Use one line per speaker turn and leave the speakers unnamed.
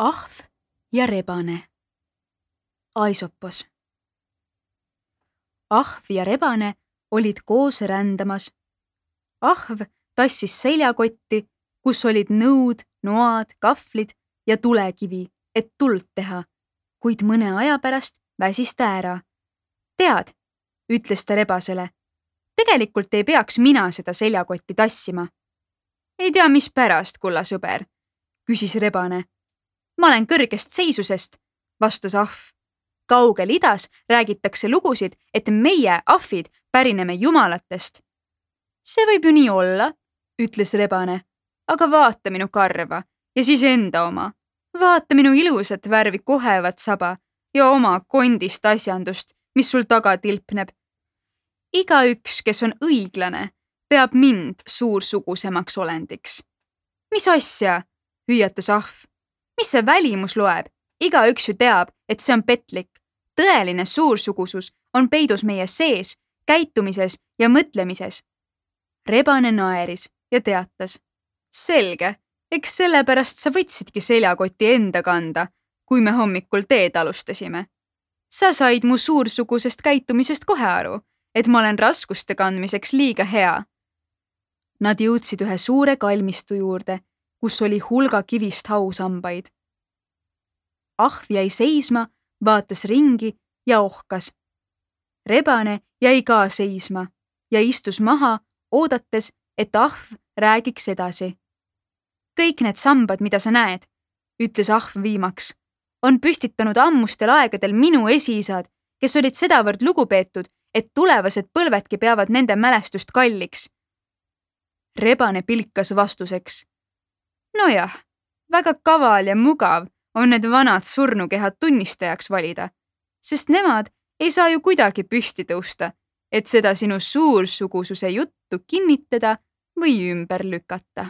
Ahv ja rebane. Aisopos. Ahv ja rebane olid koos rändamas. Ahv tassis seljakotti, kus olid nõud, noad, kahvlid ja tulekivi, et tuld teha, kuid mõne aja pärast väsis ta ära. Tead, ütles ta rebasele, tegelikult ei peaks mina seda seljakotti tassima. Ei tea, mis pärast, kulla sõber, küsis rebane. Ma olen kõrgest seisusest, vastas ahv. Kaugel idas räägitakse lugusid, et meie, ahvid, pärineme jumalatest. See võib ju nii olla, ütles rebane, aga vaata minu karva ja siis enda oma. Vaata minu ilusat värvi kohevat saba ja oma kondist asjandust, mis sul taga tilpneb. Igaüks, kes on õiglane, peab mind suursugusemaks olendiks. Mis asja, hüüatas ahv. Mis see välimus loeb? Igaüks ju teab, et see on petlik. Tõeline suursugusus on peidus meie sees, käitumises ja mõtlemises. Rebane naeris ja teatas. Selge, eks sellepärast sa võtsidki seljakoti enda kanda, kui me hommikul teed alustasime. Sa said mu suursugusest käitumisest kohe aru, et ma olen raskuste kandmiseks liiga hea. Nad jõudsid ühe suure kalmistu juurde, kus oli hulga kivist hausambaid. Ahv jäi seisma, vaatas ringi ja ohkas. Rebane jäi ka seisma ja istus maha, oodates, et ahv räägiks edasi. Kõik need sambad, mida sa näed, ütles ahv viimaks, on püstitanud ammustel aegadel minu esiisad, kes olid sedavõrd lugupeetud, et tulevased põlvedki peavad nende mälestust kalliks. Rebane pilkas vastuseks. Nojah, väga kaval ja mugav on need vanad surnukehad tunnistajaks valida, sest nemad ei saa ju kuidagi püsti tõusta, et seda sinu suursugususe juttu kinnitada või ümber lükata.